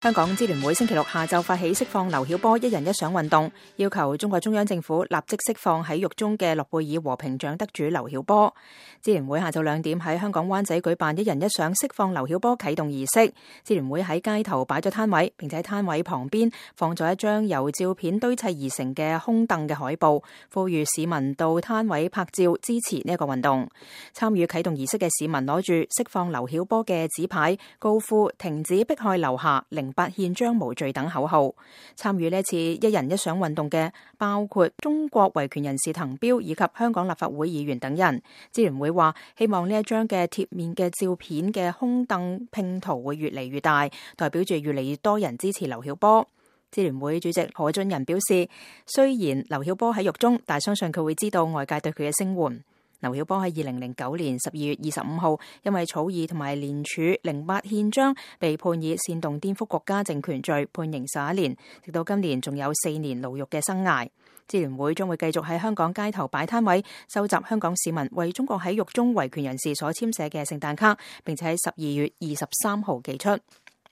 香港支聯會星期六下晝發起釋放劉曉波一人一相運動，要求中國中央政府立即釋放喺獄中嘅諾貝爾和平獎得主劉曉波。支聯會下晝2點喺香港灣仔舉辦一人一相釋放劉曉波啟動儀式。支聯會喺街頭擺咗攤位，並且喺攤位旁邊放咗一張由照片堆砌而成嘅空凳嘅海報，呼籲市民到攤位拍照支持呢一個運動。參與啟動儀式嘅市民攞住釋放劉曉波嘅紙牌，高呼停止迫害劉霞08憲章無罪等口號。參與呢次一人一相運動嘅包括中國維權人士滕彪以及香港立法會議員等人。支聯會話希望呢一張嘅貼面嘅照片嘅空凳拼圖會越嚟越大，代表住越嚟越多人支持劉曉波。支聯會主席何俊仁表示，雖然劉曉波喺獄中，但相信佢會知道外界對佢嘅聲援。劉曉波喺2009年12月25號因為草擬同埋聯署08憲章被判以煽動顛覆國家政權罪判刑11年，直到今年仲有4年牢獄嘅生涯。支聯會將會繼續喺香港街頭擺攤位，收集香港市民為中國喺獄中維權人士所簽寫嘅聖誕卡，並且喺12月23號寄出。